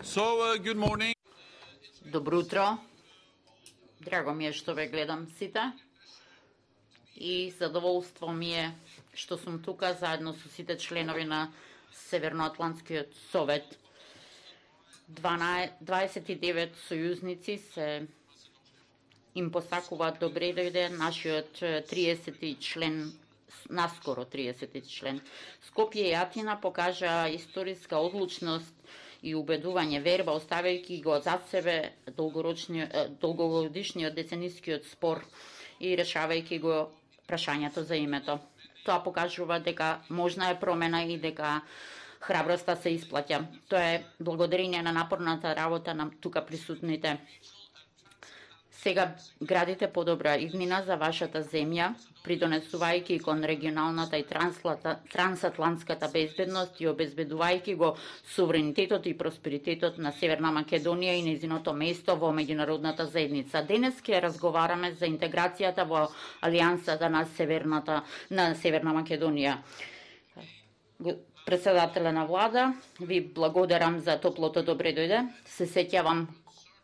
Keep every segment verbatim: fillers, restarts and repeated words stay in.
So, uh, good morning. Добро утро. Драго ми е што ве гледам сите. И задоволство ми е што сум тука заедно со сите членови на Северноатлантскиот совет. дваесет и девет сојузници се им посакуваат добре дојде нашиот триесети член, наскоро триесети член. Скопје и Атина покажа историска одлучност и убедување верба, оставајќи го зад себе долгогодишниот деценискиот спор и решавајќи го прашањето за името. Тоа покажува дека можна е промена и дека храброста се исплаќа. Тоа е благодарение на напорната работа на тука присутните. Сега градите подобра иднина за вашата земја, придонесувајќи кон регионалната и трансатлантската безбедност и обезбедувајќи го суверенитетот и просперитетот на Северна Македонија и нејзиното место во меѓународната заедница. Денес ќе разговараме за интеграцијата во Алијансата на Северната на Северна Македонија. Председателя на влада, ви благодарам за топлото добре дојде. Се сеќавам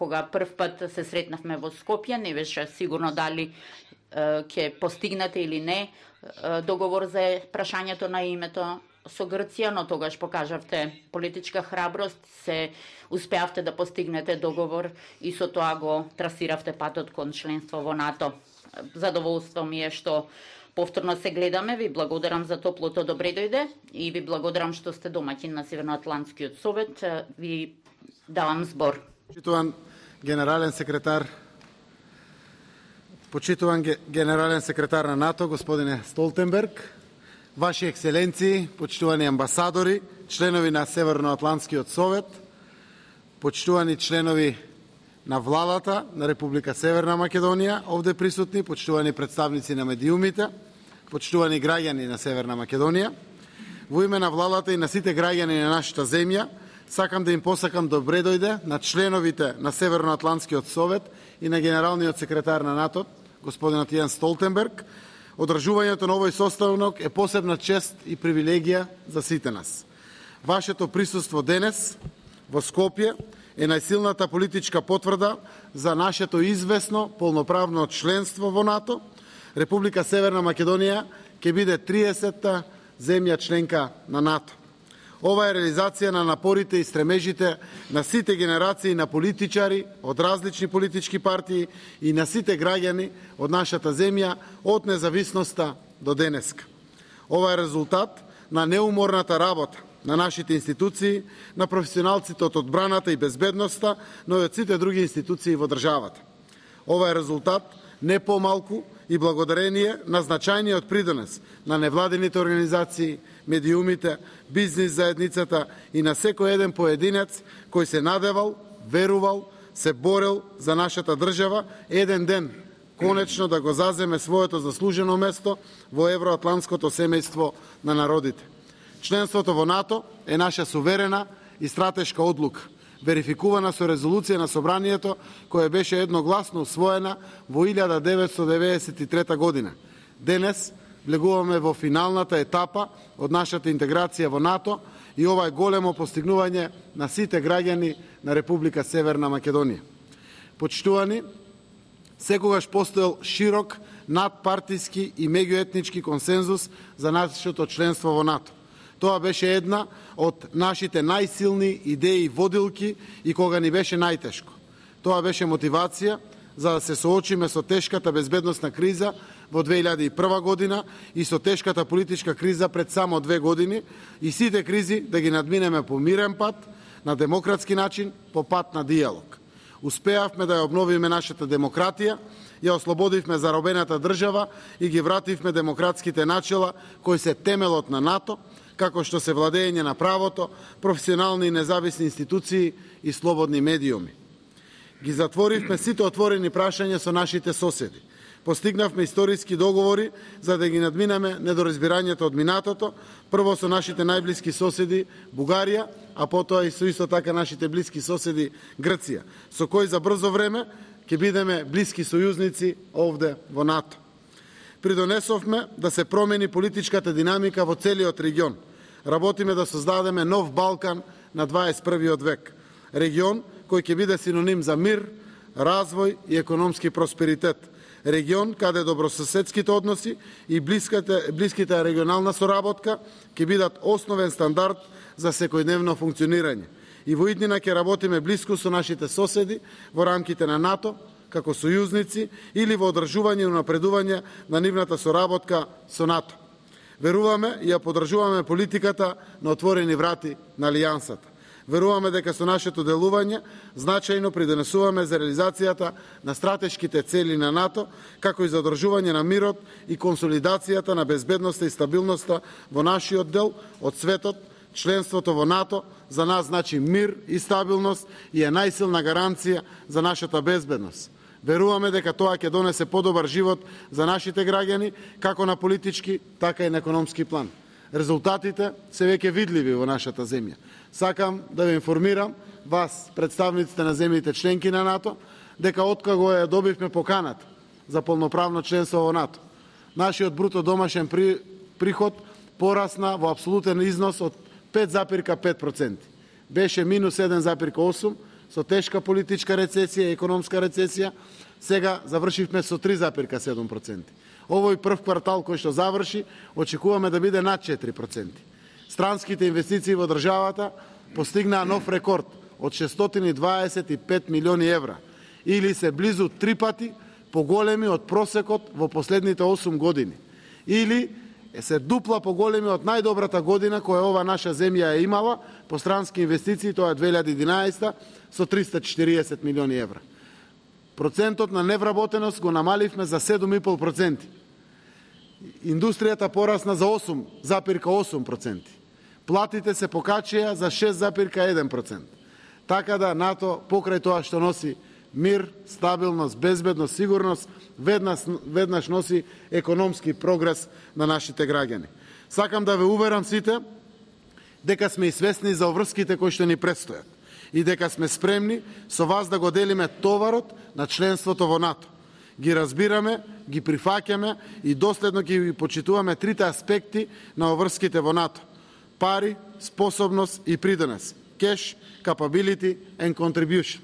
кога прв пат се сретнавме во Скопје, не беше сигурно дали ќе постигнете или не договор за прашањето на името со Грција, но тогаш покажавте политичка храброст, се успеавте да постигнете договор и со тоа го трасиравте патот кон членство во НАТО. Задоволство ми е што повторно се гледаме, ви благодарам за топлото добре дојде и ви благодарам што сте домаќин на Северноатлантскиот совет. Ви давам збор. Почитуван генерален секретар, почитуван генерален секретар на НАТО, господине Столтенберг, ваши екселенции, почитувани амбасадори, членови на Северноатлантскиот совет, почитувани членови на владата на Република Северна Македонија, овде присутни, почитувани представници на медиумите, почитувани граѓани на Северна Македонија, во име на владата и на сите граѓани на нашата земја, сакам да им посакам добре дојде на членовите на Северноатлантскиот совет и на генералниот секретар на НАТО, господинот Јен Столтенберг. Одржувањето на овој состанок е посебна чест и привилегија за сите нас. Вашето присуство денес во Скопје е најсилната политичка потврда за нашето известно полноправно членство во НАТО. Република Северна Македонија ќе биде триесетта земја членка на НАТО. Ова е реализација на напорите и стремежите на сите генерации на политичари од различни политички партии и на сите граѓани од нашата земја од независноста до денеска. Ова е резултат на неуморната работа на нашите институции, на професионалците од одбраната и безбедноста, но и од сите други институции во државата. Ова е резултат не помалку и благодарение на значајниот придонес на невладените организации, медиумите, бизнис заедницата и на секој еден поединец кој се надевал, верувал, се борел за нашата држава, еден ден конечно да го заземе своето заслужено место во евроатлантското семејство на народите. Членството во НАТО е наша суверена и стратешка одлука, верификувана со резолуција на Собранието, која беше едногласно усвоена во илјада деветстотини деветдесет и трета година. Денес влегуваме во финалната етапа од нашата интеграција во НАТО и ова е големо постигнување на сите граѓани на Република Северна Македонија. Почитувани, секогаш постоел широк надпартиски и меѓуетнички консензус за нашето членство во НАТО. Тоа беше една од нашите најсилни идеи водилки и кога ни беше најтешко. Тоа беше мотивација за да се соочиме со тешката безбедносна криза во две илјади и прва година и со тешката политичка криза пред само две години и сите кризи да ги надминеме по мирен пат, на демократски начин, по пат на диалог. Успеавме да ја обновиме нашата демократија, ја ослободивме заробената држава и ги вративме демократските начела кои се темелот на НАТО, како што се владење на правото, професионални и независни институции и слободни медиуми. Ги затворивме сите отворени прашања со нашите соседи. Постигнавме историски договори за да ги надминеме недоразбирањето од минатото, прво со нашите најблиски соседи Бугарија, а потоа и со исто така нашите блиски соседи Грција, со кои за брзо време ќе бидеме блиски сојузници овде во НАТО. Придонесовме да се промени политичката динамика во целиот регион. Работиме да создадеме нов Балкан на дваесет и првиот век. Регион кој ќе биде синоним за мир, развој и економски просперитет. Регион каде добрососедските односи и блиските, блиските регионална соработка ќе бидат основен стандард за секојдневно функционирање. И во иднина ќе работиме блиску со нашите соседи во рамките на НАТО, како сојузници или во одржување и напредување на нивната соработка со НАТО. Веруваме и ја поддржуваме политиката на отворени врати на Алијансата. Веруваме дека со нашето делување значајно придонесуваме за реализацијата на стратешките цели на НАТО, како и за одржување на мирот и консолидацијата на безбедноста и стабилноста во нашиот дел од светот. Членството во НАТО за нас значи мир и стабилност и е најсилна гаранција за нашата безбедност. Веруваме дека тоа ќе донесе подобар живот за нашите граѓани, како на политички, така и на економски план. Резултатите се веќе видливи во нашата земја. Сакам да ве информирам, вас, представниците на земјите членки на НАТО, дека откако ја добивме поканата за полноправно членство во НАТО, нашиот бруто домашен приход порасна во апсолутен износ од пет запирка пет проценти. Беше минус еден запирка осум со тешка политичка рецесија и економска рецесија, сега завршивме со три запирка седум проценти. Овој прв квартал кој што заврши, очекуваме да биде над четири проценти. Странските инвестиции во државата постигнаа нов рекорд од шестстотини и дваесет и пет милиони евра, или се близу три пати поголеми од просекот во последните осум години, или се дупла поголеми од најдобрата година која ова наша земја е имала по странски инвестиции, тоа е две илјади и единаесета, со триста и четириесет милиони евра. Процентот на невработеност го намаливме за седум и пол проценти. Индустријата порасна за осум запирка осум проценти. Платите се покачија за шест запирка еден процент. Така да НАТО, покрај тоа што носи мир, стабилност, безбедност, сигурност, веднаш, веднаш носи економски прогрес на нашите граѓани. Сакам да ве уверам сите дека сме и свесни за обврските кои што ни предстојат и дека сме спремни со вас да го делиме товарот на членството во НАТО. Ги разбираме, ги прифаќаме и доследно ги почитуваме трите аспекти на обврските во НАТО: пари, способност и придонес. Cash, capability and contribution.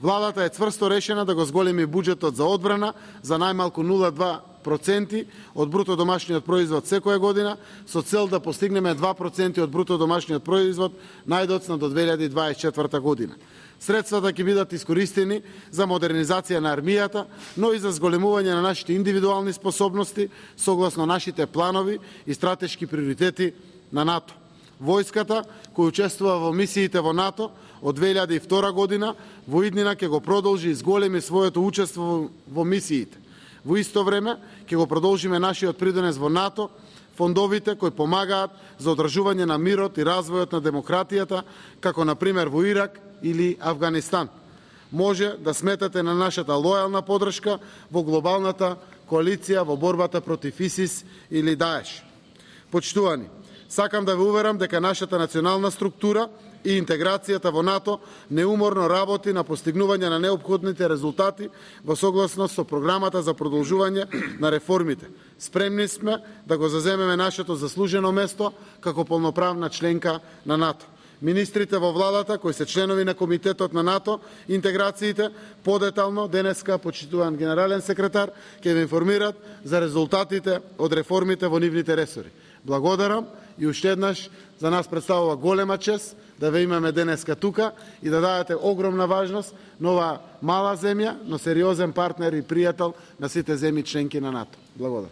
Владата е цврсто решена да го зголеми буџетот за одбрана за најмалку нула целу два проценти од бруто домашниот производ секоја година, со цел да постигнеме два проценти од бруто домашниот производ најдоцна до две илјади дваесет и четврта година. Средствата ќе бидат искористени за модернизација на армијата, но и за зголемување на нашите индивидуални способности согласно нашите планови и стратешки приоритети на НАТО. Војската, која учествува во мисиите во НАТО од две илјади и втора година, во иднина ќе го продолжи и зголеми своето учество во мисиите. Во исто време ќе го продолжиме нашиот придонес во НАТО, фондовите кои помагаат за одржување на мирот и развојот на демократијата, како на пример во Ирак или Авганистан. Може да сметате на нашата лојална поддршка во глобалната коалиција во борбата против ИСИС или Даеш. Почитувани, сакам да ве уверам дека нашата национална структура и интеграцијата во НАТО неуморно работи на постигнување на неопходните резултати во согласност со програмата за продолжување на реформите. Спремни сме да го заземеме нашето заслужено место како полноправна членка на НАТО. Министрите во владата, кои се членови на Комитетот на НАТО, интеграциите, подетално денеска почитуван генерален секретар, ќе ве информират за резултатите од реформите во нивните ресори. Благодарам и уште еднаш за нас представува голема чест да ве имаме денеска тука и да дадете огромна важност на ова мала земја, но сериозен партнер и пријател на сите земји членки на НАТО. Благодарам.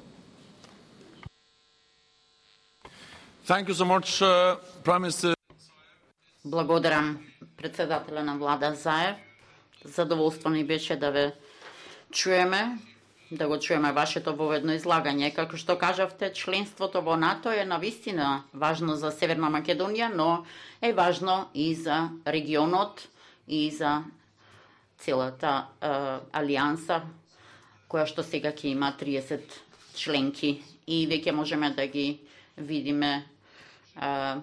Thank you so much, uh, Prime Minister. Благодарам, председателя на влада Заев. Задоволство ни беше да ве чуеме, да го чуеме вашето воведно излагање. Како што кажавте, членството во НАТО е навистина важно за Северна Македонија, но е важно и за регионот и за целата е, алијанса, која што сега ќе има триесет членки и веќе можеме да ги видиме е,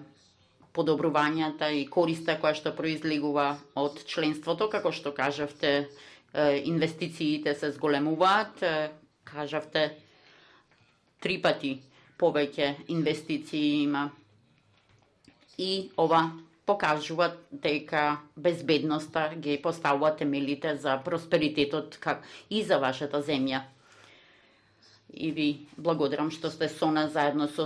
подобрувањата и користа која што произлегува од членството, како што кажавте, инвестициите се зголемуваат, кажавте три пати повеќе инвестиции има и ова покажуваат дека безбедноста ги поставува темелите за просперитетот как и за вашата земја. И ви благодарам што сте со нас заедно со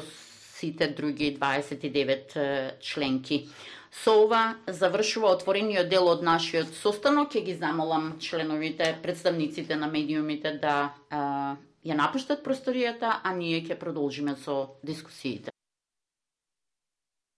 сите други дваесет и девет членки. Со ова завршува отворениот дел од нашиот состанок. Ќе ги замолам членовите, представниците на медиумите да а, ја напуштат просторијата, а ние ќе продолжиме со дискусиите.